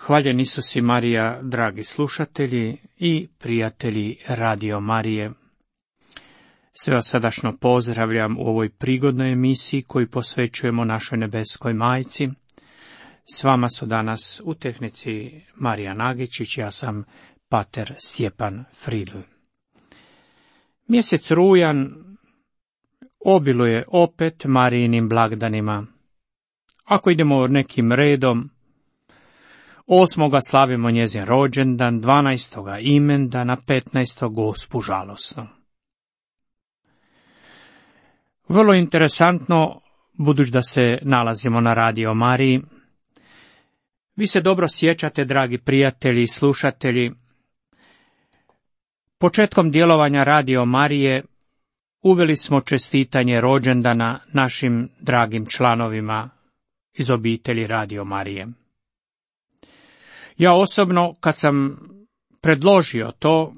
Hvaljen Isus i Marija, dragi slušatelji i prijatelji Radio Marije. Sve vas srdačno pozdravljam u ovoj prigodnoj emisiji koju posvećujemo našoj nebeskoj majci. S vama su danas u tehnici Marija Nagičić, ja sam pater Stjepan Fridl. Mjesec rujan obiluje opet Marijinim blagdanima. Ako idemo nekim redom, 8. slavimo njezin rođendan, 12. imendana, 15. Gospu žalosnu. Vrlo interesantno, budući da se nalazimo na Radio Mariji, vi se dobro sjećate, dragi prijatelji i slušatelji, početkom djelovanja Radio Marije uveli smo čestitanje rođendana našim dragim članovima iz obitelji Radio Marije. Ja osobno, kad sam predložio to,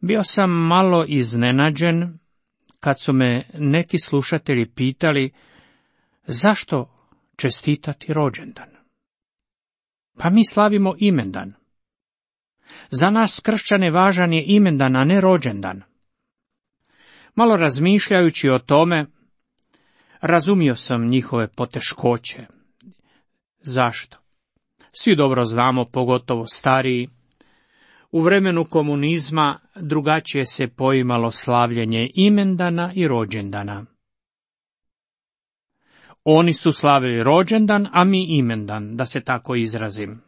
bio sam malo iznenađen kad su me neki slušatelji pitali zašto čestitati rođendan. Pa mi slavimo imendan. Za nas kršćane važan je imendan, a ne rođendan. Malo razmišljajući o tome, razumio sam njihove poteškoće. Zašto? Svi dobro znamo, pogotovo stariji, u vremenu komunizma drugačije se poimalo slavljenje imendana i rođendana. Oni su slavili rođendan, a mi imendan, da se tako izrazim.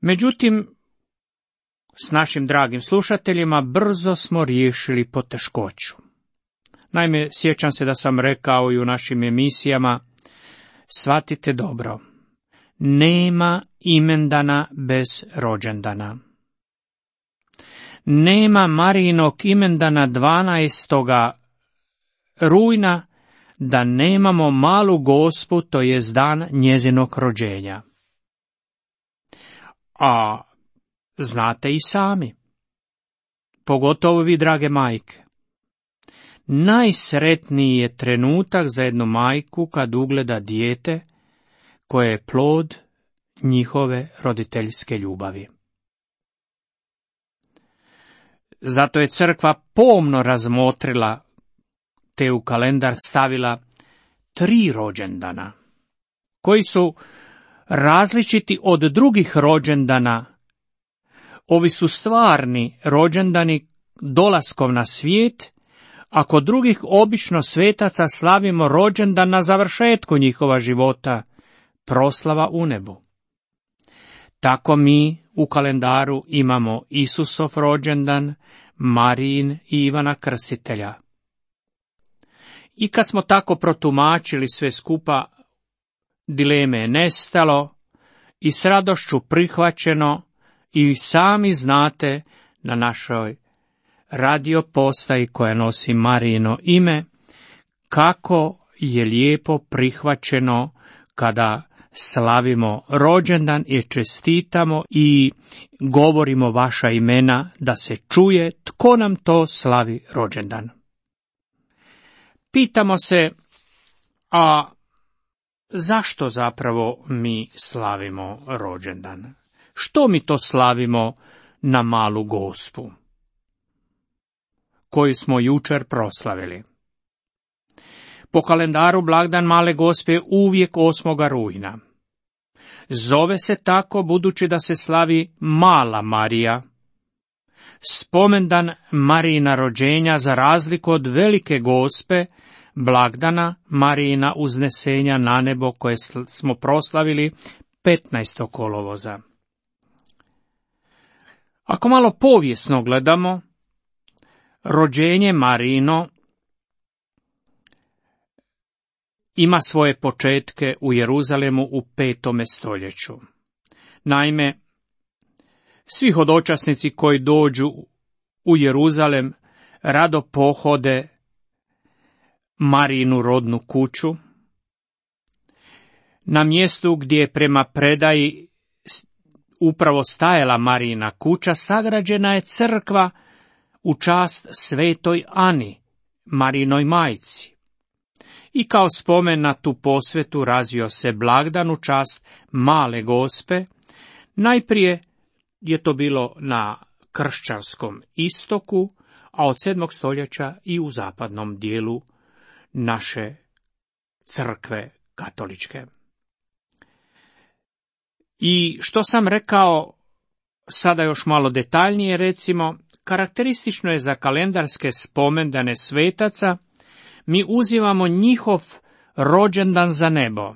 Međutim, s našim dragim slušateljima brzo smo riješili poteškoću. Naime, sjećam se da sam rekao i u našim emisijama, shvatite dobro, nema imendana bez rođendana. Nema Marijinog imendana 12. rujna da nemamo malu Gospu, to jest dan njezinog rođenja. A znate i sami, pogotovo vi, drage majke, najsretniji je trenutak za jednu majku kad ugleda dijete koje je plod njihove roditeljske ljubavi. Zato je crkva pomno razmotrila te u kalendar stavila 3 rođendana, koji su različiti od drugih rođendana. Ovi su stvarni rođendani dolaskom na svijet, a kod drugih obično svetaca slavimo rođendan na završetku njihova života, proslava u nebu. Tako mi u kalendaru imamo Isusov rođendan, Marijin i Ivana Krstitelja. I kad smo tako protumačili sve skupa, dileme je nestalo i s radošću prihvaćeno, i sami znate na našoj radio postaji koja nosi Marijino ime, kako je lijepo prihvaćeno kada slavimo rođendan i čestitamo i govorimo vaša imena, da se čuje tko nam to slavi rođendan. Pitamo se, a zašto zapravo mi slavimo rođendan? Što mi to slavimo na malu Gospu, koju smo jučer proslavili? Po kalendaru blagdan male Gospe je uvijek 8. rujna. Zove se tako budući da se slavi mala Marija, spomendan Marijina rođenja, za razliku od velike Gospe, blagdana Marijina uznesenja na nebo koje smo proslavili 15. kolovoza. Ako malo povijesno gledamo, rođenje Marijino ima svoje početke u Jeruzalemu u 5. stoljeću. Naime, svi hodočasnici koji dođu u Jeruzalem rado pohode Marijinu rodnu kuću. Na mjestu gdje je prema predaji upravo stajala Marijina kuća, sagrađena je crkva u čast svetoj Ani, Marijinoj majci. i kao spomen na tu posvetu razvio se blagdan u čast Male Gospe. Najprije je to bilo na kršćanskom istoku, a od 7. stoljeća i u zapadnom dijelu naše crkve katoličke. I što sam rekao, sada još malo detaljnije recimo, karakteristično je za kalendarske spomendane svetaca, mi uzimamo njihov rođendan za nebo,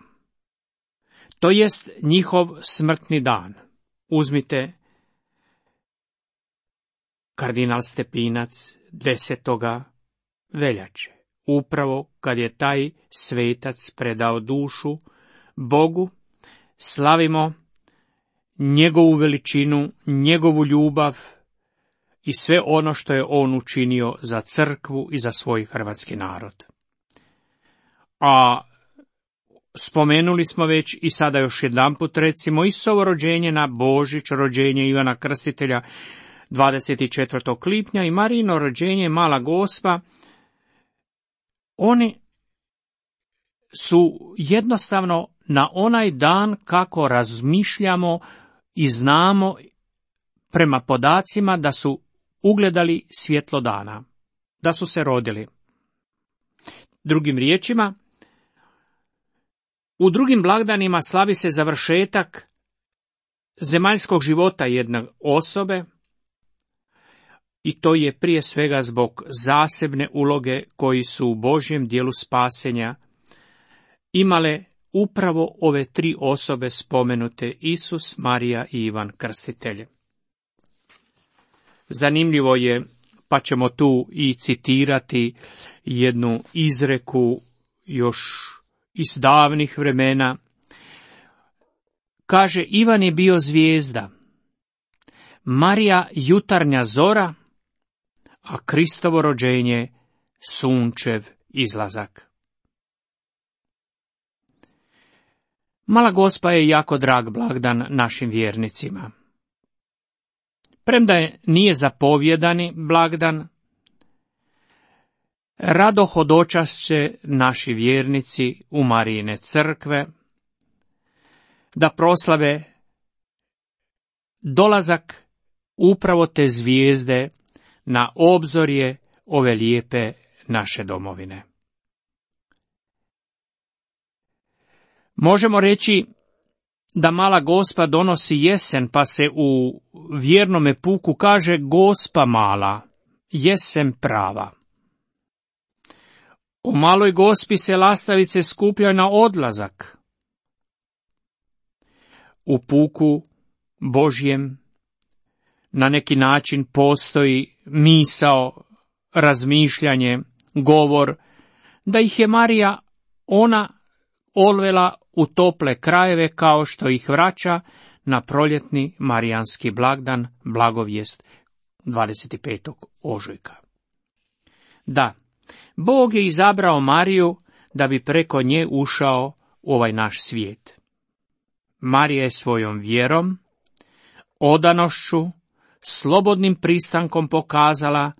to jest njihov smrtni dan. Uzmite kardinal Stepinac 10. veljače, upravo kad je taj svetac predao dušu Bogu, slavimo njegovu veličinu, njegovu ljubav i sve ono što je on učinio za crkvu i za svoj hrvatski narod. A spomenuli smo već i sada još jedanput recimo Isusovo rođenje na Božić, rođenje Ivana Krstitelja 24. lipnja i Marijino rođenje Mala Gospa. Oni su jednostavno na onaj dan kako razmišljamo i znamo prema podacima da su ugledali svjetlo dana, da su se rodili. Drugim riječima, u drugim blagdanima slavi se završetak zemaljskog života jedne osobe i to je prije svega zbog zasebne uloge koji su u Božjem dijelu spasenja imale upravo ove 3 osobe spomenute, Isus, Marija i Ivan Krstitelj. Zanimljivo je, pa ćemo tu i citirati jednu izreku još iz davnih vremena. Kaže, Ivan je bio zvijezda, Marija jutarnja zora, a Kristovo rođenje sunčev izlazak. Mala Gospa je jako drag blagdan našim vjernicima. Premda nije zapovjedani blagdan, rado hodočašće naši vjernici u Marijine crkve, da proslave dolazak upravo te zvijezde na obzorje ove lijepe naše domovine. Možemo reći da Mala Gospa donosi jesen, pa se u vjernome puku kaže Gospa mala, jesen prava. O Maloj Gospi se lastavice skupljaju na odlazak. U puku Božjem na neki način postoji misao, razmišljanje, govor, da ih je Marija ona odvela u tople krajeve kao što ih vraća na proljetni marijanski blagdan, blagovijest 25. ožujka. Da, Bog je izabrao Mariju da bi preko nje ušao u ovaj naš svijet. Marija je svojom vjerom, odanošću, slobodnim pristankom pokazala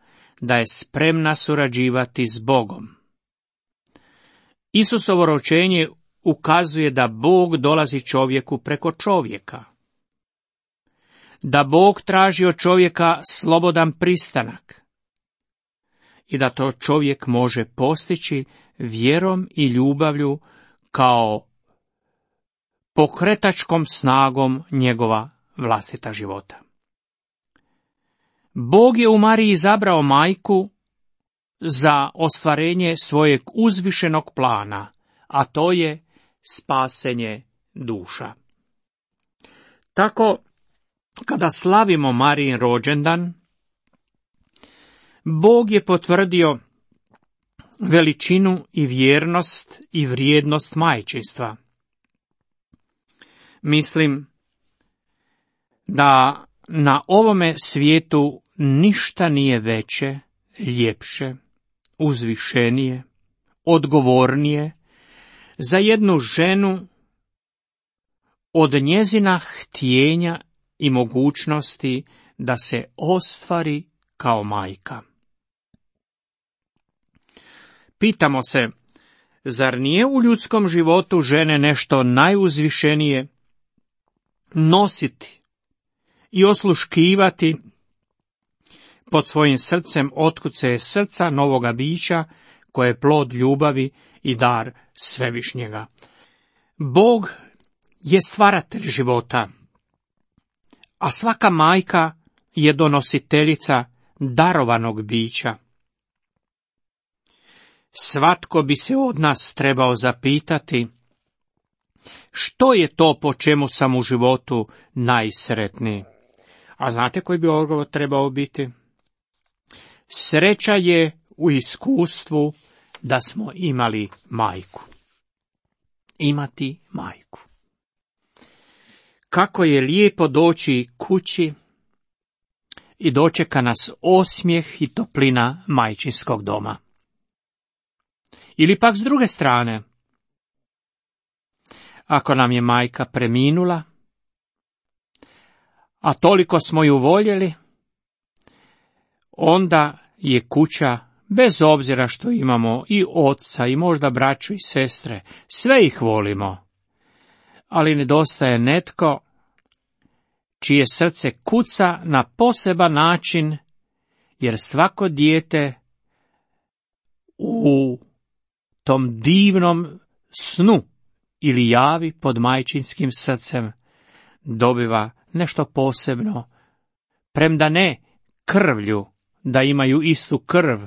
da je spremna surađivati s Bogom. Isusovo rođenje ukazuje da Bog dolazi čovjeku preko čovjeka, da Bog traži od čovjeka slobodan pristanak i da to čovjek može postići vjerom i ljubavlju kao pokretačkom snagom njegova vlastita života. Bog je u Mariji izabrao majku za ostvarenje svojeg uzvišenog plana, a to je spasenje duša. Tako, kada slavimo Marijin rođendan, Bog je potvrdio veličinu i vjernost i vrijednost majčinstva. Mislim da na ovome svijetu ništa nije veće, ljepše, uzvišenije, odgovornije za jednu ženu od njezina htjenja i mogućnosti da se ostvari kao majka. Pitamo se, Zar nije u ljudskom životu žene nešto najuzvišenije? Nositi i osluškivati pod svojim srcem otkuce srca novoga bića, koje je plod ljubavi i dar Svevišnjega. Bog je stvaratelj života, a svaka majka je donositeljica darovanog bića. Svatko bi se od nas trebao zapitati, što je to po čemu sam u životu najsretniji? A znate koji bi odgovor trebao biti? Sreća je u iskustvu da smo imali majku. Imati majku. Kako je lijepo doći kući i dočeka nas osmijeh i toplina majčinskog doma. Ili pak s druge strane, ako nam je majka preminula, a toliko smo ju voljeli, onda je kuća, bez obzira što imamo i oca i možda braću i sestre, sve ih volimo, ali nedostaje netko čije srce kuca na poseban način, jer svako dijete u tom divnom snu ili javi pod majčinskim srcem dobiva nešto posebno, premda ne krvlju, da imaju istu krv,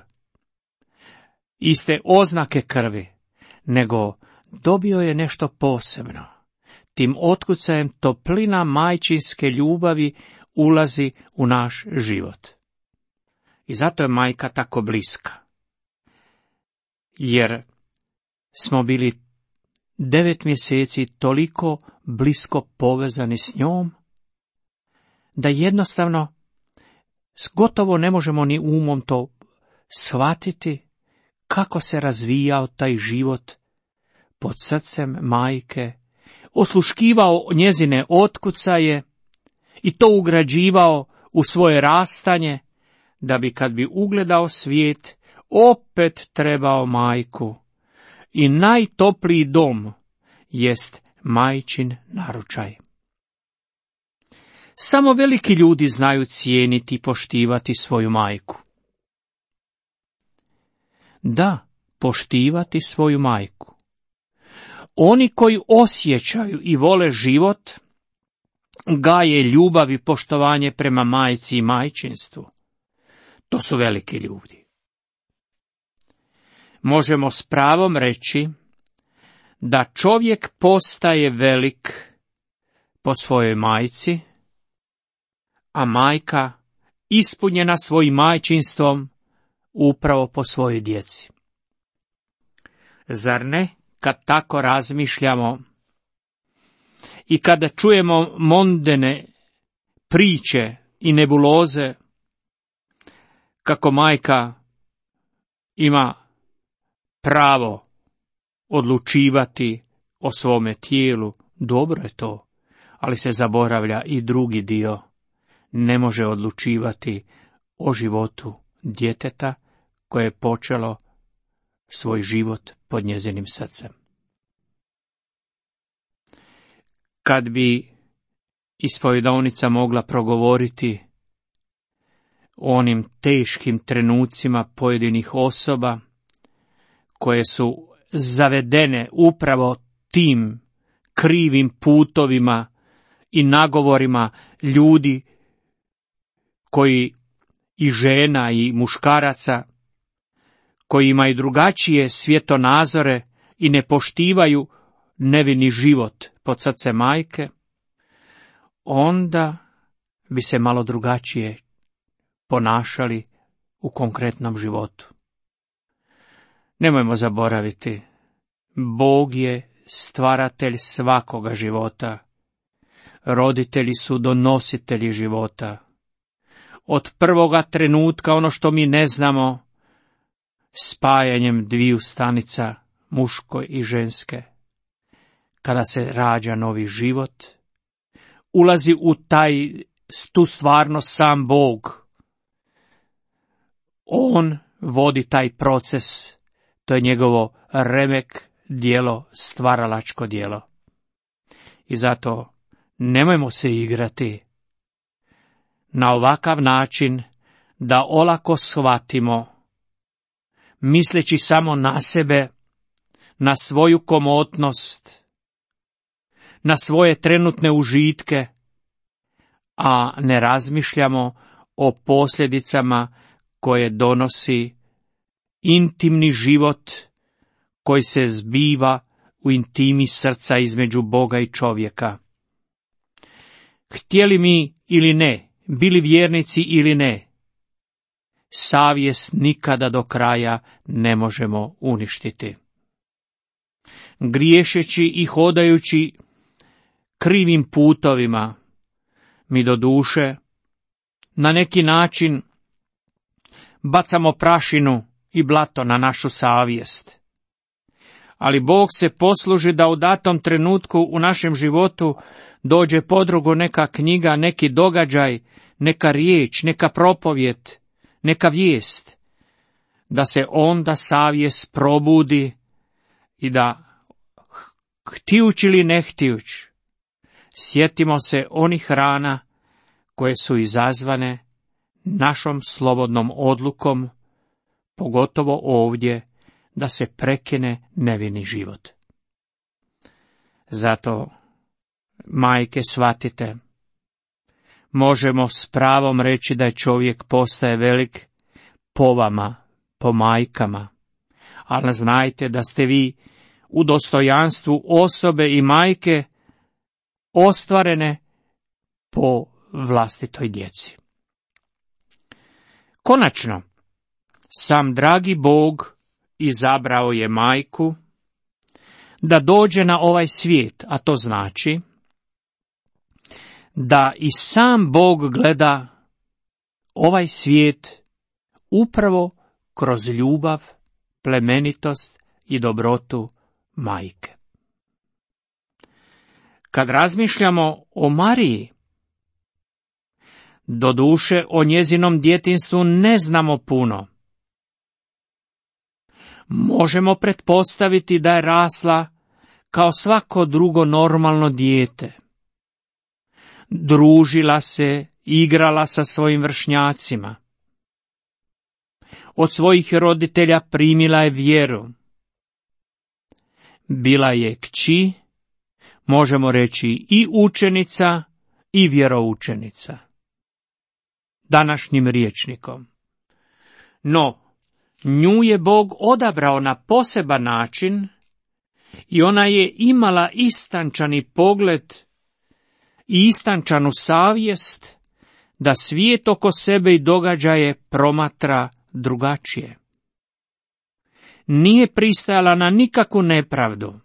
iste oznake krvi, nego dobio je nešto posebno. Tim otkucajem toplina majčinske ljubavi ulazi u naš život. I zato je majka tako bliska. Jer smo bili 9 mjeseci toliko blisko povezani s njom, da jednostavno gotovo ne možemo ni umom to shvatiti kako se razvijao taj život pod srcem majke, osluškivao njezine otkucaje i to ugrađivao u svoje rastanje, da bi kad bi ugledao svijet, opet trebao majku. I najtopliji dom jest majčin naručaj. Samo veliki ljudi znaju cijeniti i poštivati svoju majku. Da, poštivati svoju majku. Oni koji osjećaju i vole život, gaje ljubav i poštovanje prema majci i majčinstvu. To su veliki ljudi. Možemo s pravom reći da čovjek postaje velik po svojoj majci, a majka ispunjena svojim majčinstvom upravo po svojoj djeci. Zar ne, kad tako razmišljamo i kada čujemo mondene priče i nebuloze, kako majka ima pravo odlučivati o svome tijelu, dobro je to, ali se zaboravlja i drugi dio. Ne može odlučivati o životu djeteta koje je počelo svoj život pod njezinim srcem. Kad bi ispovjedovnica mogla progovoriti o onim teškim trenucima pojedinih osoba koje su zavedene upravo tim krivim putovima i nagovorima ljudi koji i žena i muškaraca koji imaju drugačije svjetonazore i ne poštivaju nevini život pod srce majke, onda bi se malo drugačije ponašali u konkretnom životu. Nemojmo zaboraviti, Bog je stvaratelj svakoga života. Roditelji su donositelji života. Od prvoga trenutka ono što mi ne znamo, spajanjem dviju stanica, muške i ženske, kada se rađa novi život, ulazi u tu stvarnost sam Bog. On vodi taj proces, to je njegovo remek djelo, stvaralačko djelo. I zato nemojmo se igrati na ovakav način da olako shvatimo, misleći samo na sebe, na svoju komotnost, na svoje trenutne užitke, a ne razmišljamo o posljedicama koje donosi intimni život koji se zbiva u intimi srca između Boga i čovjeka. Htjeli mi ili ne, bili vjernici ili ne, savjest nikada do kraja ne možemo uništiti. Griješeći i hodajući krivim putovima, mi do duše na neki način bacamo prašinu i blato na našu savjest. Ali Bog se posluži da u datom trenutku u našem životu dođe podrugo neka knjiga, neki događaj, neka riječ, neka propovijed, neka vijest, da se onda savjest probudi i da, htijući ili ne htijući, sjetimo se onih rana koje su izazvane našom slobodnom odlukom, pogotovo ovdje, da se prekine nevini život. Zato, majke, shvatite, možemo s pravom reći da je čovjek postaje velik po vama, po majkama, ali znajte da ste vi u dostojanstvu osobe i majke ostvarene po vlastitoj djeci. Konačno, sam dragi Bog izabrao je majku da dođe na ovaj svijet, a to znači da i sam Bog gleda ovaj svijet upravo kroz ljubav, plemenitost i dobrotu majke. Kad razmišljamo o Mariji, doduše o njezinom djetinjstvu ne znamo puno. Možemo pretpostaviti da je rasla kao svako drugo normalno dijete. Družila se, igrala sa svojim vršnjacima. Od svojih roditelja primila je vjeru. Bila je kći, možemo reći i učenica i vjeroučenica. Današnjim rječnikom. No, nju je Bog odabrao na poseban način i ona je imala istančani pogled i istančanu savjest da svijet oko sebe i događaje promatra drugačije. Nije pristajala na nikakvu nepravdu.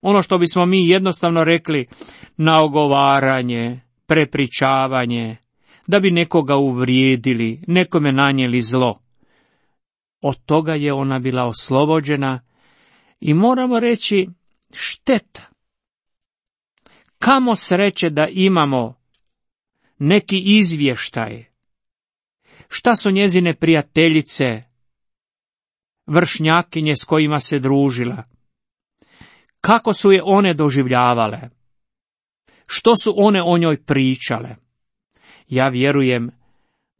Ono što bismo mi jednostavno rekli na ogovaranje, prepričavanje, da bi nekoga uvrijedili, nekome nanijeli zlo. Od toga je ona bila oslobođena i moramo reći šteta. Kamo sreće da imamo neki izvještaj. Šta su njezine prijateljice, vršnjakinje s kojima se družila? Kako su je one doživljavale? Što su one o njoj pričale? Ja vjerujem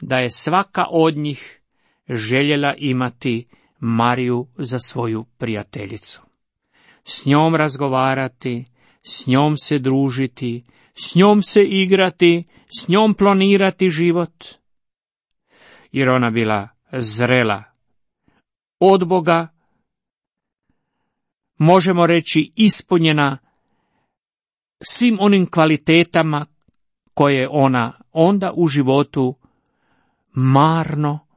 da je svaka od njih željela imati Mariju za svoju prijateljicu. S njom razgovarati, s njom se družiti, s njom se igrati, s njom planirati život. Jer ona bila zrela od Boga, možemo reći ispunjena svim onim kvalitetama koje ona onda u životu marno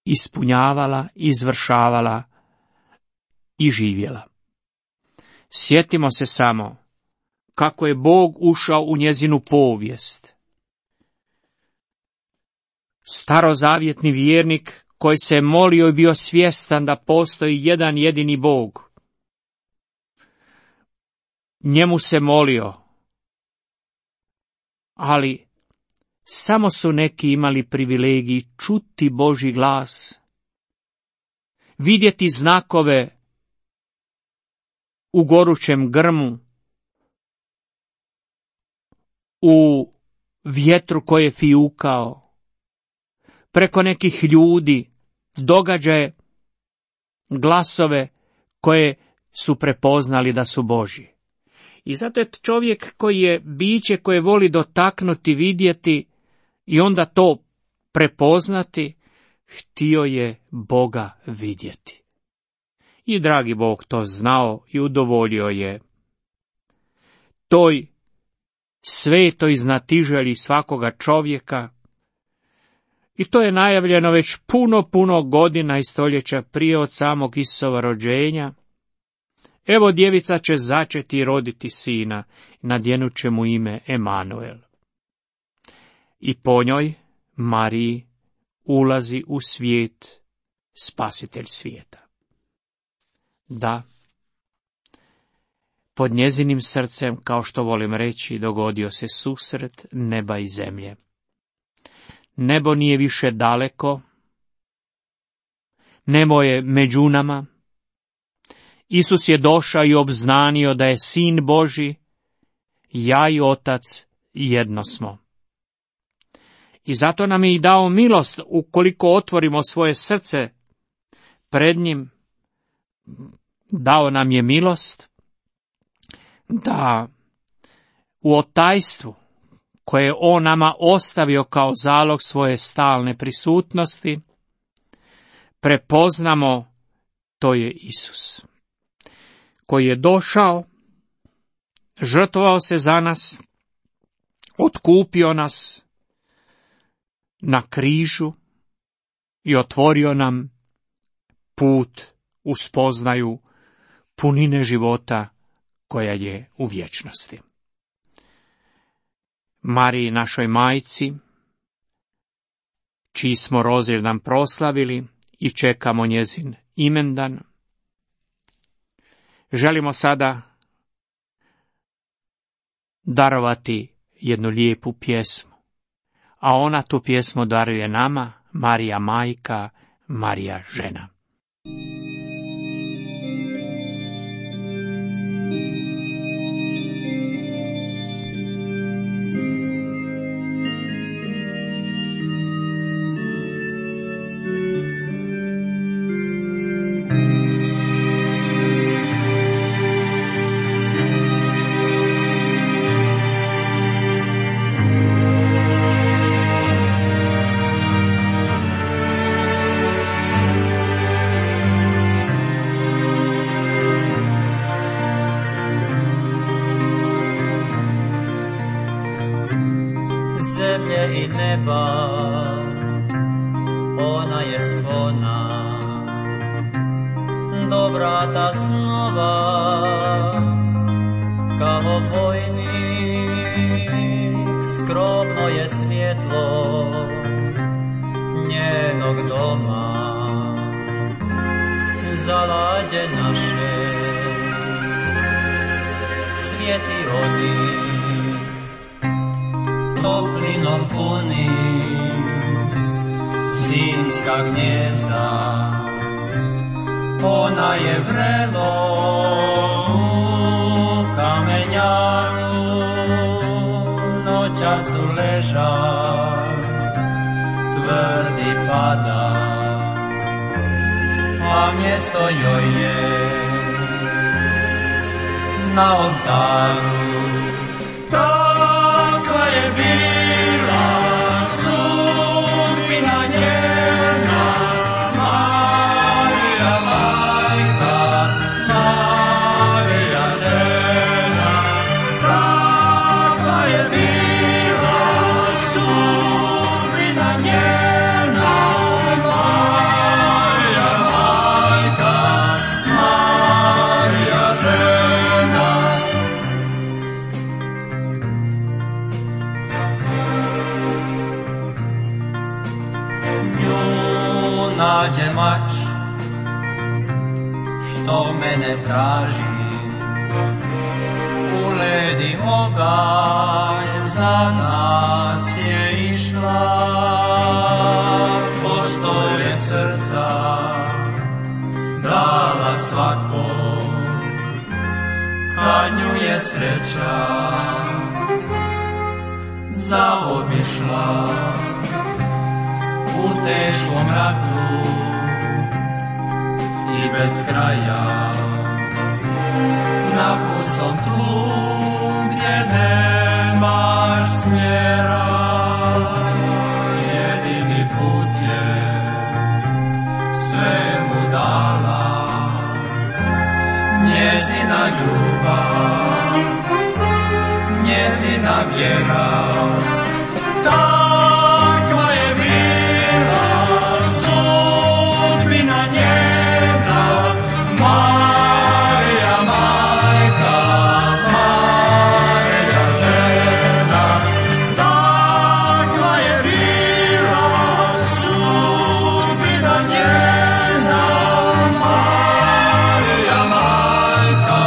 ispunjavala, izvršavala i živjela. Sjetimo se samo kako je Bog ušao u njezinu povijest. Starozavjetni vjernik koji se molio i bio svjestan da postoji jedan jedini Bog. Njemu se molio, ali samo su neki imali privilegij čuti Božji glas, vidjeti znakove u gorućem grmu, u vjetru koje je fijukao, preko nekih ljudi, događaje, glasove koje su prepoznali da su Božji. I zato je čovjek koji je biće koje voli dotaknuti, vidjeti i onda to prepoznati, htio je Boga vidjeti. I dragi Bog to znao i udovoljio je toj svetoj znatiželji svakoga čovjeka. I to je najavljeno već puno godina i stoljeća prije od samog Isusova rođenja. Evo, djevica će začeti i roditi sina, nadjenut će mu ime Emanuel. I po njoj, Mariji, ulazi u svijet spasitelj svijeta. Da, pod njezinim srcem, kao što volim reći, dogodio se susret neba i zemlje. Nebo nije više daleko, nebo je među nama. Isus je došao i obznanio da je Sin Božji, ja i Otac jedno smo. I zato nam je i dao milost, ukoliko otvorimo svoje srce pred njim, dao nam je milost da u otajstvu koje je on nama ostavio kao zalog svoje stalne prisutnosti, prepoznamo, to je Isus, koji je došao, žrtvovao se za nas, otkupio nas na križu i otvorio nam put u spoznaju punine života koja je u vječnosti. Mariji, našoj majci, čiji smo rođendan proslavili i čekamo njezin imendan, želimo sada darovati jednu lijepu pjesmu, a ona tu pjesmu daruje nama, Marija majka, Marija žena. Zemlje i neba, ona je spona, do vrata snova, kao vojnik, skromno je svjetlo njenog doma, zalađe naše, svijeti oni, toplinom puni, zimska gnjezda, ona je vrelo u kamenjaru, noćas u ležak, tvrdi pada, a mjesto joj je na oltaru. Takva je bila sudbina njena, Marija majka, Marija žena. Takva je bila sudbina njena, Marija majka, Marija žena. Nađe mač, što mene traži, u led i oganj za nas je išla, postolje srca dala svakom, nesreća zaobišla u teškom ratu i bez kraja na pustom tlu gdje nemaš smjera. Jedini put je sve mu dala njezina ljubav, njezina vjera. Takva je bila sudbina njena, Marija majka, Marija žena. Takva je bila sudbina njena, Marija majka,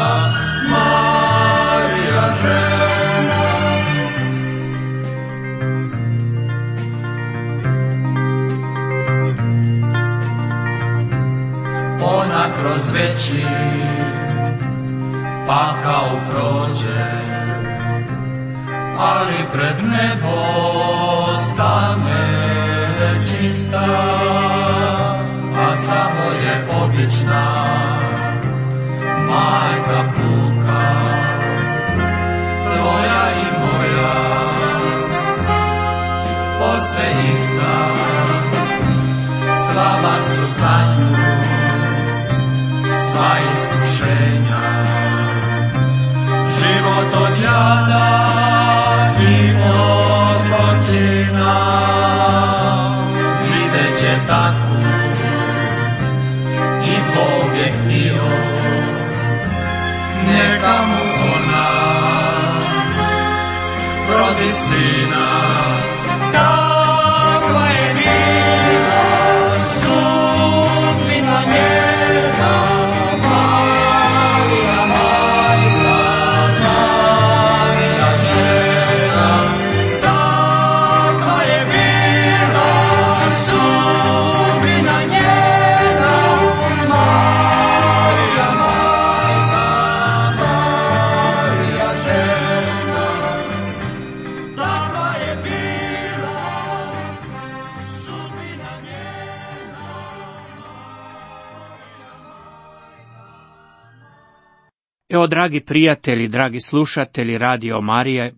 Marija žena. Ona kroz veći pakao prođe, ali pred nebo stane čista, a samo je obična majka puka, tvoja i moja, posve ista. Slaba su za nju sva iskušenja, život od jada i od zločina. Vidjet će takvu i Bog je htio, neka mu ona rodi sina. Takva je bila sudbina njena, Marija majka, Marija žena. Takva je bila sudbina njena, Marija majka, Marija žena. Takva je bila sudbina njena. Evo, dragi prijatelji, dragi slušatelji Radio Marije,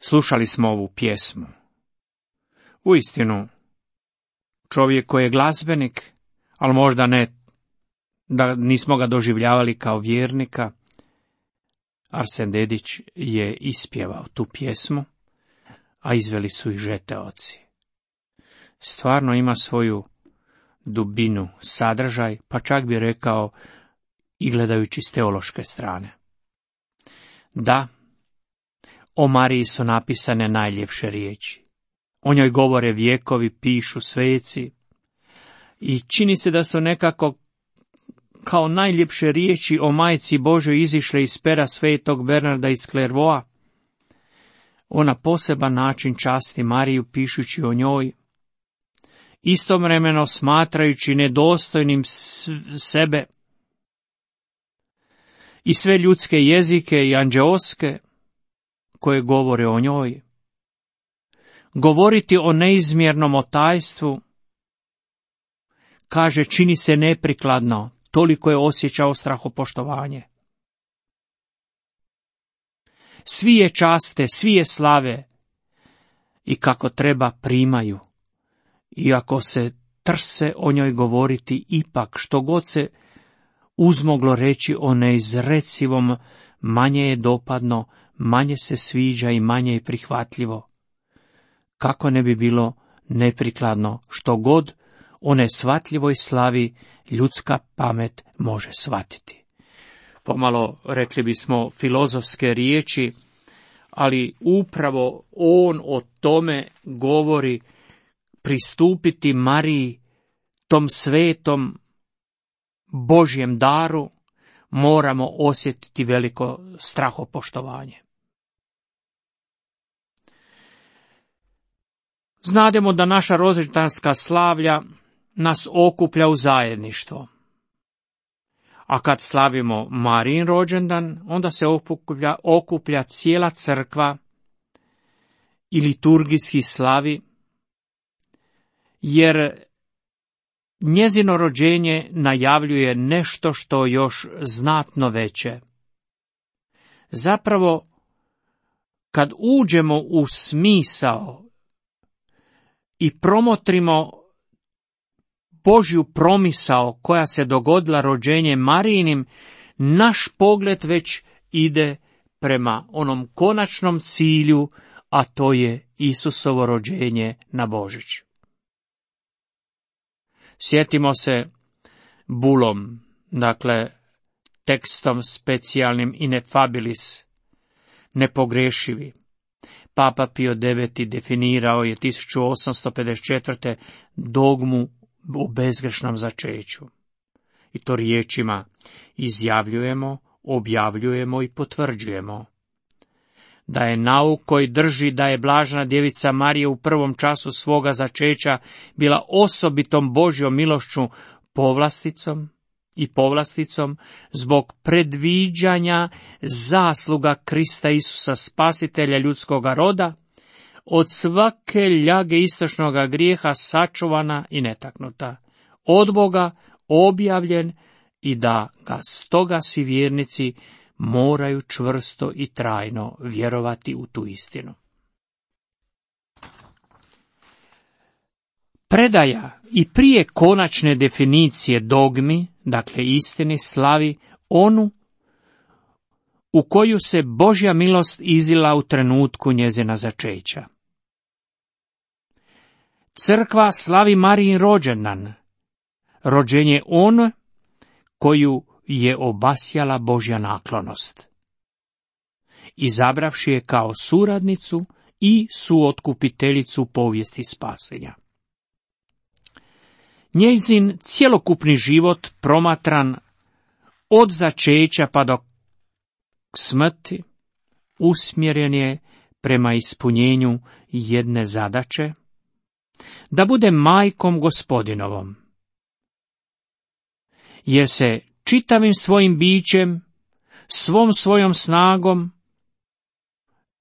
slušali smo ovu pjesmu. Uistinu, čovjek koji je glazbenik, ali možda ne, da nismo ga doživljavali kao vjernika, Arsen Dedić je ispjevao tu pjesmu, a izveli su i žeteoci. Stvarno ima svoju dubinu, sadržaj, pa čak bi rekao i gledajući s teološke strane. Da, o Mariji su napisane najljepše riječi. O njoj govore vjekovi, pišu sveci i čini se da su nekako kao najljepše riječi o Majci Božoj izišle iz pera svetog Bernarda iz Clairvaux. On na poseban način časti Mariju pišući o njoj, istovremeno smatrajući nedostojnim sebe i sve ljudske jezike i anđeoske koje govore o njoj. Govoriti o neizmjernom otajstvu, kaže, čini se neprikladno, toliko je osjećao strahopoštovanje. Svi je časte, svi je slave i kako treba primaju. Iako se trse o njoj govoriti, ipak što god se uzmoglo reći o neizrecivom, manje je dopadno, manje se sviđa i manje je prihvatljivo. Kako ne bi bilo neprikladno što god o neshvatljivoj slavi ljudska pamet može shvatiti. Pomalo, rekli bismo, filozofske riječi, ali upravo on o tome govori, pristupiti Mariji, tom svetom Božjem daru, moramo osjetiti veliko strahopoštovanje. Znademo da naša rođendanska slavlja nas okuplja u zajedništvo. A kad slavimo Marijin rođendan, onda se okuplja cijela crkva i liturgijski slavi, jer njezino rođenje najavljuje nešto što još znatno veće. Zapravo, kad uđemo u smisao i promotrimo Božju promisao koja se dogodila rođenjem Marijinim, naš pogled već ide prema onom konačnom cilju, a to je Isusovo rođenje na Božić. Sjetimo se bulom, dakle tekstom specijalnim ineffabilis, nepogrešivi. Papa Pio IX definirao je 1854. dogmu o bezgrešnom začeću. I to riječima izjavljujemo, objavljujemo i potvrđujemo. Da je nauk koji drži da je blažena djevica Marija u prvom času svoga začeća bila osobitom Božjom milošću povlasticom zbog predviđanja zasluga Krista Isusa spasitelja ljudskoga roda, od svake ljage istočnoga grijeha sačuvana i netaknuta, od Boga objavljen i da ga stoga svi vjernici moraju čvrsto i trajno vjerovati u tu istinu. Predaja i prije konačne definicije dogmi, dakle istini, slavi onu u koju se Božja milost izlila u trenutku njezina začeća. Crkva slavi Marijin rođendan, rođenje on koju je obasjala Božja naklonost, izabravši je kao suradnicu i suotkupiteljicu povijesti spasenja. Njezin cjelokupni život promatran od začeća pa do smrti usmjeren je prema ispunjenju jedne zadaće, da bude majkom Gospodinovom, jer se čitavim svojim bićem, svom svojom snagom,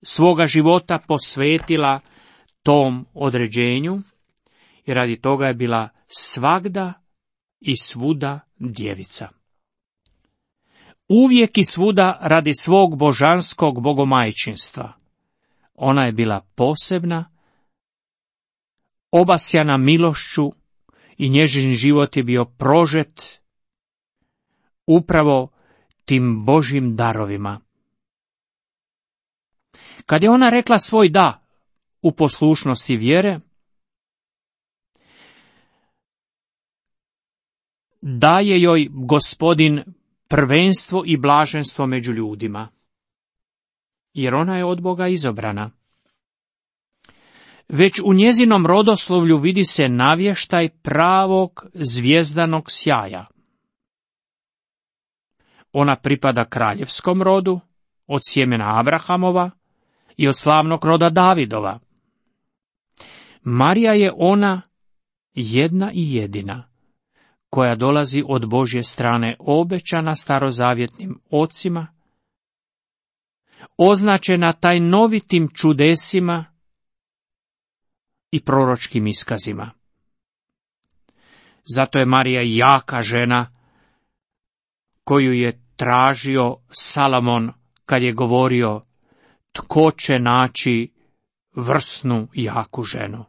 svoga života posvetila tom određenju i radi toga je bila svagda i svuda djevica. Uvijek i svuda radi svog božanskog bogomajčinstva. Ona je bila posebna, obasjana milošću i njezin život je bio prožet upravo tim Božjim darovima. Kad je ona rekla svoj da u poslušnosti vjere, daje joj Gospodin prvenstvo i blaženstvo među ljudima, jer ona je od Boga izabrana. Već u njezinom rodoslovlju vidi se navještaj pravog zvjezdanog sjaja. Ona pripada kraljevskom rodu, od sjemena Abrahamova i od slavnog roda Davidova. Marija je ona jedna i jedina, koja dolazi od Božje strane obećana starozavjetnim ocima, označena tajnovitim čudesima i proročkim iskazima. Zato je Marija jaka žena koju je tražio Salomon kad je govorio tko će naći vrsnu jaku ženu.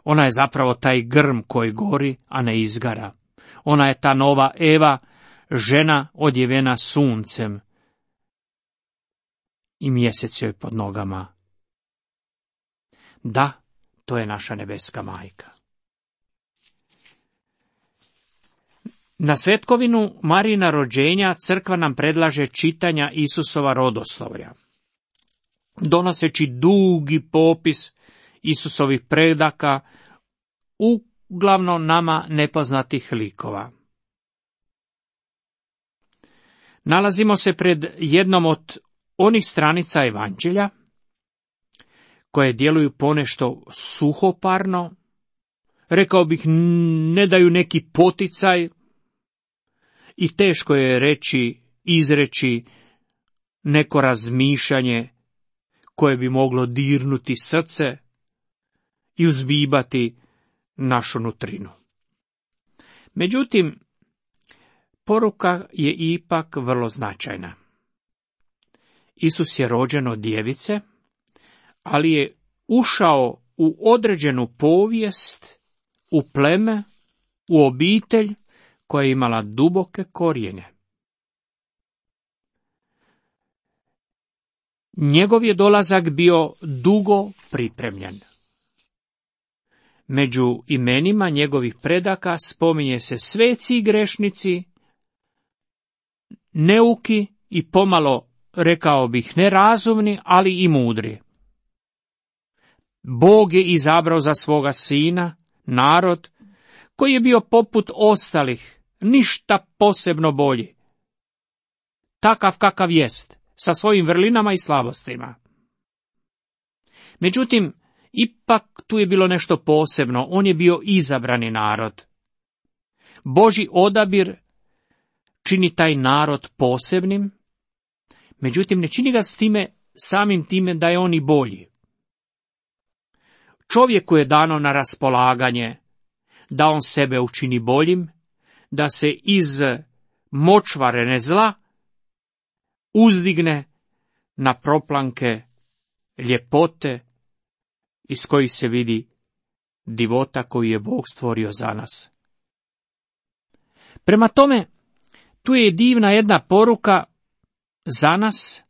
Ona je zapravo taj grm koji gori, a ne izgara. Ona je ta nova Eva, žena odjevena suncem i mjesec joj pod nogama. Da, to je naša nebeska majka. Na svetkovinu Marijina rođenja crkva nam predlaže čitanja Isusova rodoslovlja, donoseći dugi popis Isusovih predaka, uglavnom nama nepoznatih likova. Nalazimo se pred jednom od onih stranica evanđelja koje djeluju ponešto suhoparno, rekao bih ne daju neki poticaj, i teško je izreći neko razmišljanje koje bi moglo dirnuti srce i uzbibati našu nutrinu. Međutim, poruka je ipak vrlo značajna. Isus je rođen od djevice, ali je ušao u određenu povijest, u pleme, u obitelj koja je imala duboke korijene. Njegov je dolazak bio dugo pripremljen. Među imenima njegovih predaka spominje se sveci i grešnici, neuki i pomalo, rekao bih, nerazumni, ali i mudri. Bog je izabrao za svoga sina narod koji je bio poput ostalih, ništa posebno bolji. Takav kakav jest, sa svojim vrlinama i slabostima. Međutim, ipak tu je bilo nešto posebno, on je bio izabrani narod. Božji odabir čini taj narod posebnim, međutim ne čini ga samim time da je on i bolji. Čovjeku je dano na raspolaganje da on sebe učini boljim, da se iz močvare zla uzdigne na proplanke ljepote iz kojih se vidi divota koju je Bog stvorio za nas. Prema tome, tu je divna jedna poruka za nas.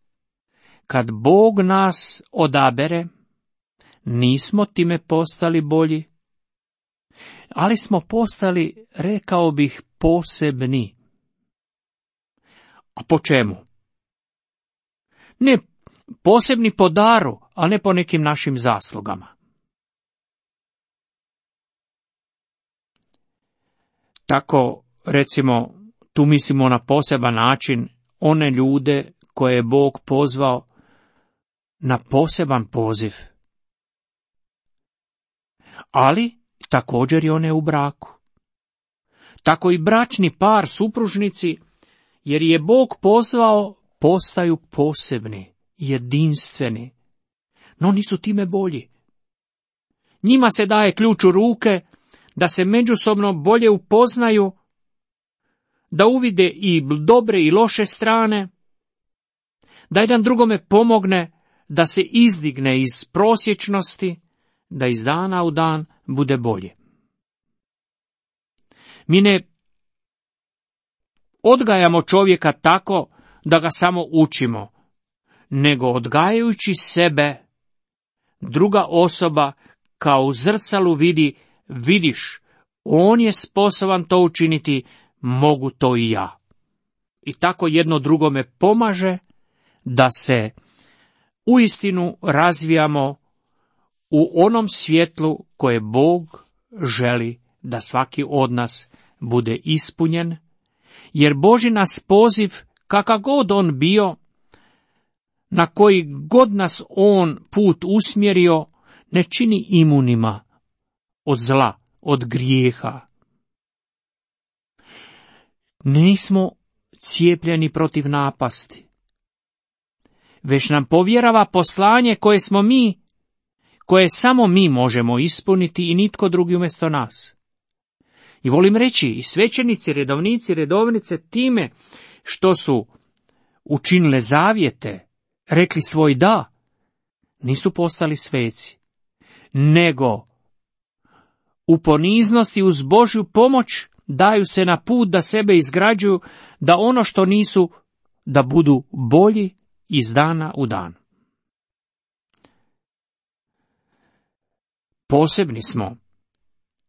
Kad Bog nas odabere, nismo time postali bolji, ali smo postali, rekao bih, posebni. A po čemu? Ne posebni po daru, a ne po nekim našim zaslugama. Tako, recimo, tu mislimo na poseban način one ljude koje je Bog pozvao na poseban poziv. Ali također i one u braku. Tako i bračni par, supružnici, jer je Bog pozvao, postaju posebni, jedinstveni, no nisu time bolji. Njima se daje ključ u ruke da se međusobno bolje upoznaju, da uvide i dobre i loše strane, da jedan drugome pomogne da se izdigne iz prosječnosti, da iz dana u dan bude bolje. Mi ne odgajamo čovjeka tako da ga samo učimo, nego odgajajući sebe, druga osoba kao u zrcalu vidiš, on je sposoban to učiniti, mogu to i ja. I tako jedno drugome pomaže da se uistinu razvijamo u onom svjetlu koje Bog želi da svaki od nas bude ispunjen, jer Božji nas poziv, kakav god on bio, na koji god nas on put usmjerio, ne čini imunima od zla, od grijeha. Nismo cijepljeni protiv napasti, već nam povjerava poslanje koje samo mi možemo ispuniti i nitko drugi umjesto nas. I volim reći, i svećenici, redovnici, redovnice time što su učinile zavjete, rekli svoj da, nisu postali sveci, nego u poniznosti uz Božju pomoć daju se na put da sebe izgrađuju, da ono što nisu, da budu bolji iz dana u dan. Posebni smo,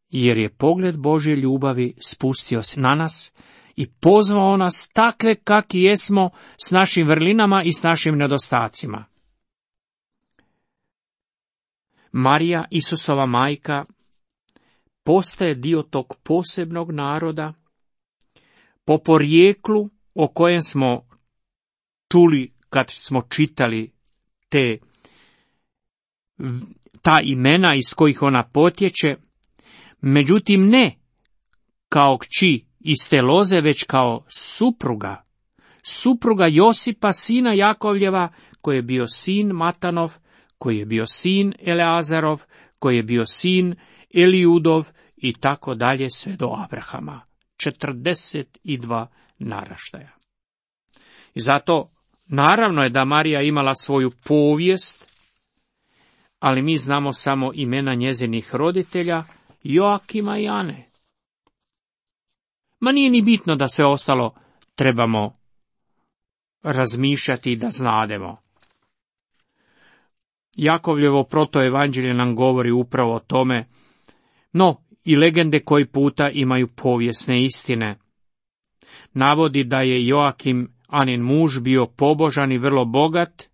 jer je pogled Božje ljubavi spustio se na nas i pozvao nas takve kakvi jesmo, s našim vrlinama i s našim nedostacima. Marija, Isusova majka, postaje dio tog posebnog naroda, po porijeklu o kojem smo čuli kad smo čitali ta imena iz kojih ona potječe, međutim ne kao kći iz te loze, već kao supruga Josipa, sina Jakovljeva, koji je bio sin Matanov, koji je bio sin Eleazarov, koji je bio sin Elijudov i tako dalje sve do Abrahama. 42 naraštaja. I zato naravno je da Marija imala svoju povijest, ali mi znamo samo imena njezinih roditelja, Joakima i Ane. Ma nije ni bitno da sve ostalo trebamo razmišljati i da znademo. Jakovljevo protoevanđelje nam govori upravo o tome, no i legende koji puta imaju povijesne istine. Navodi da je Joakim, Anin muž, bio pobožan i vrlo bogat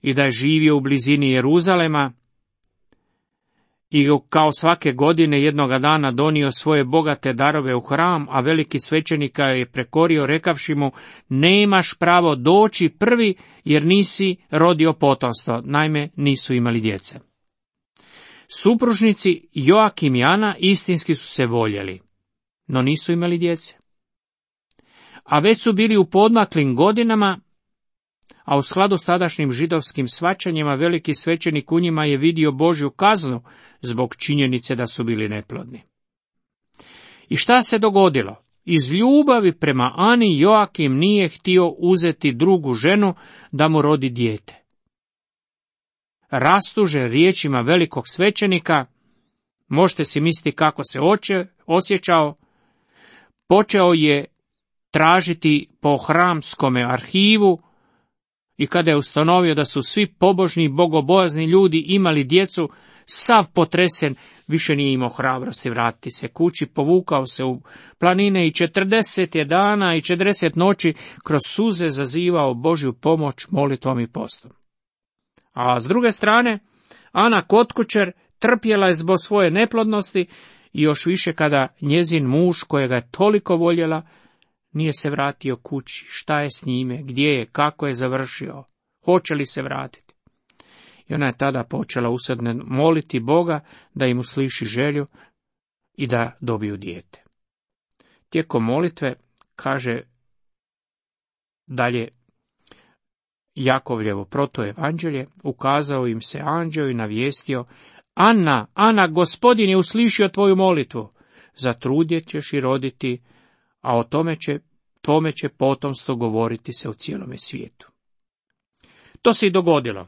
i da je živio u blizini Jeruzalema i kao svake godine jednoga dana donio svoje bogate darove u hram, a veliki svećenik je prekorio rekavši mu: nemaš pravo doći prvi jer nisi rodio potomstvo. Naime, nisu imali djece. Supružnici Joakim i Ana istinski su se voljeli, no nisu imali djece. A već su bili u poodmaklim godinama, a u skladu s tadašnjim židovskim shvaćanjima veliki svećenik u njima je vidio Božju kaznu zbog činjenice da su bili neplodni. I šta se dogodilo? Iz ljubavi prema Ani Joakim nije htio uzeti drugu ženu da mu rodi dijete. Rastužen riječima velikog svećenika, možete si misliti kako se osjećao, počeo je tražiti po hramskome arhivu i kada je ustanovio da su svi pobožni i bogobojazni ljudi imali djecu, sav potresen, više nije imao hrabrosti vratiti se kući, povukao se u planine i 40 dana i 40 noći kroz suze zazivao Božju pomoć molitvom i postom. A s druge strane, Ana kod kućer trpjela je zbog svoje neplodnosti i još više kada njezin muž, kojega je toliko voljela, nije se vratio kući. Šta je s njime, gdje je, kako je završio, hoće li se vratiti? I ona je tada počela usadno moliti Boga da im usliši želju i da dobiju dijete. Tijekom molitve, kaže dalje Jakovljevo protoevanđelje, ukazao im se anđeo i navijestio: Ana, Gospodin je uslišio tvoju molitvu, zatrudjet ćeš i roditi, a o tome će potomstvo govoriti se u cijelome svijetu. To se i dogodilo.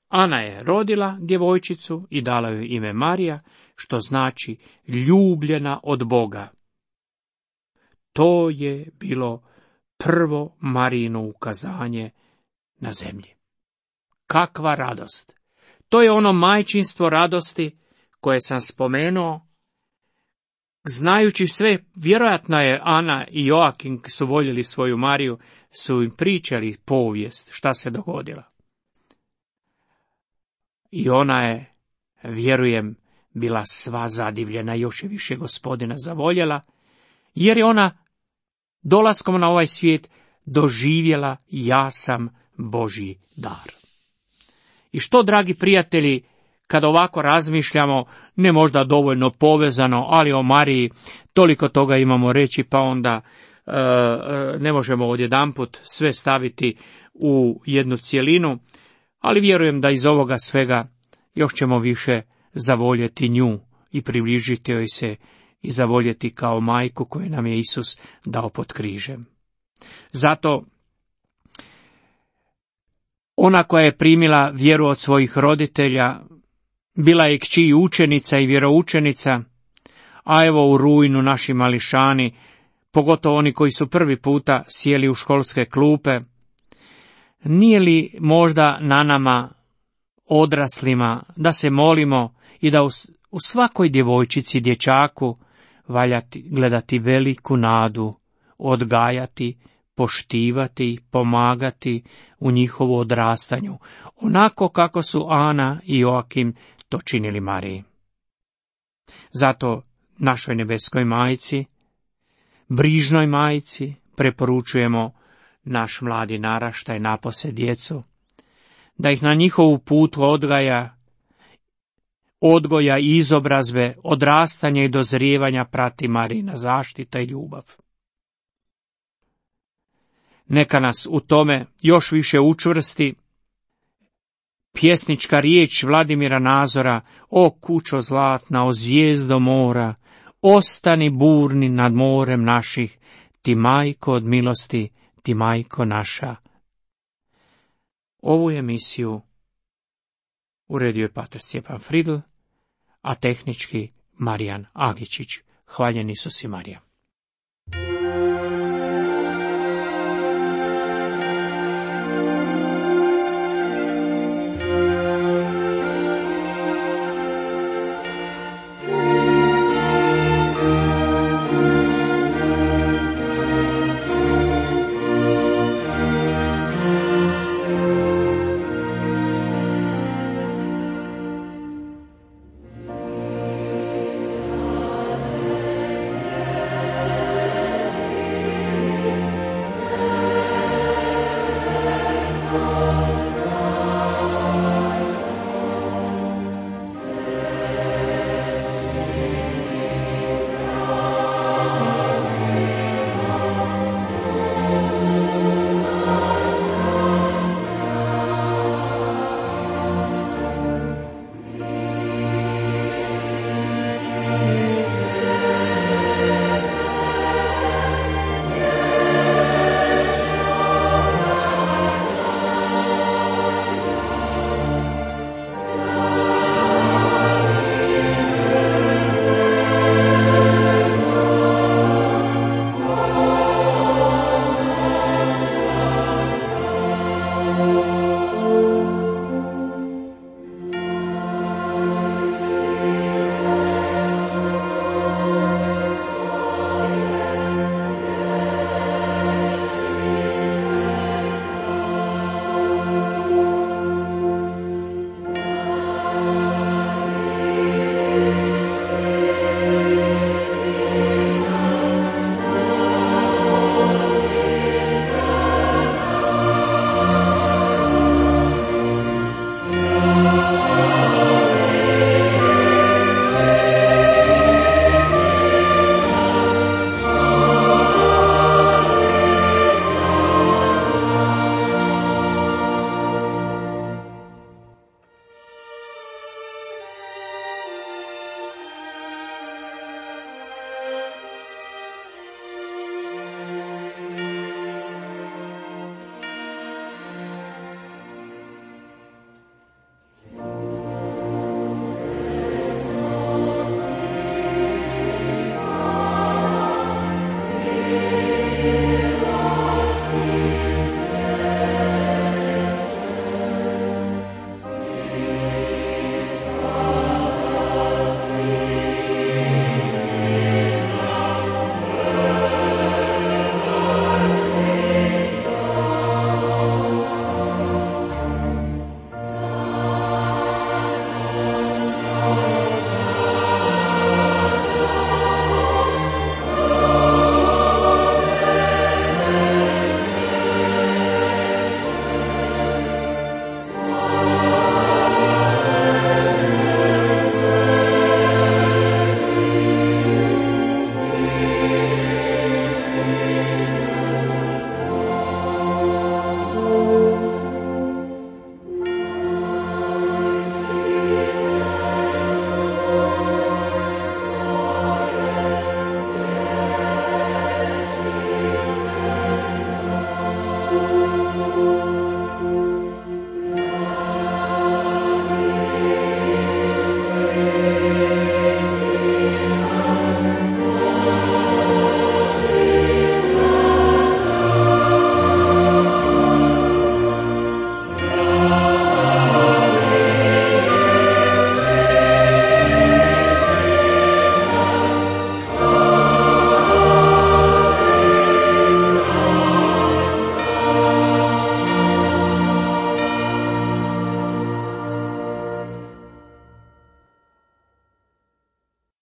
Ana je rodila djevojčicu i dala joj ime Marija, što znači ljubljena od Boga. To je bilo prvo Marijino ukazanje na zemlji. Kakva radost! To je ono majčinstvo radosti koje sam spomenuo. Znajući sve, vjerojatno je Ana i Joakim su voljeli svoju Mariju, su im pričali povijest šta se dogodila. I ona je, vjerujem, bila sva zadivljena, još je više Gospodina zavoljela, jer je ona dolaskom na ovaj svijet doživjela: ja sam Božji dar. I što, dragi prijatelji, kad ovako razmišljamo, ne možda dovoljno povezano, ali o Mariji toliko toga imamo reći, pa onda ne možemo odjedanput sve staviti u jednu cjelinu, ali vjerujem da iz ovoga svega još ćemo više zavoljeti nju i približiti joj se i zavoljeti kao majku koju nam je Isus dao pod križem. Zato ona koja je primila vjeru od svojih roditelja, bila je kći učenica i vjeroučenica, a evo u rujnu naši mališani, pogotovo oni koji su prvi puta sjeli u školske klupe, nije li možda na nama, odraslima, da se molimo i da u svakoj djevojčici, dječaku valja gledati veliku nadu, odgajati, poštivati, pomagati u njihovu odrastanju, onako kako su Ana i Joakim to činili Mariji. Zato našoj nebeskoj majci, brižnoj majci, preporučujemo naš mladi naraštaj, napose djecu, da ih na njihovu putu odgaja odgoja i izobrazbe, odrastanja i dozrijevanja prati Marijina zaštita i ljubav. Neka nas u tome još više učvrsti pjesnička riječ Vladimira Nazora: o kućo zlatna, o zvijezdo mora, ostani burni nad morem naših, ti majko od milosti, ti majko naša. Ovu emisiju uredio je pater Stjepan Fridl, a tehnički Marijan Agičić. Hvaljen Isus i Marija.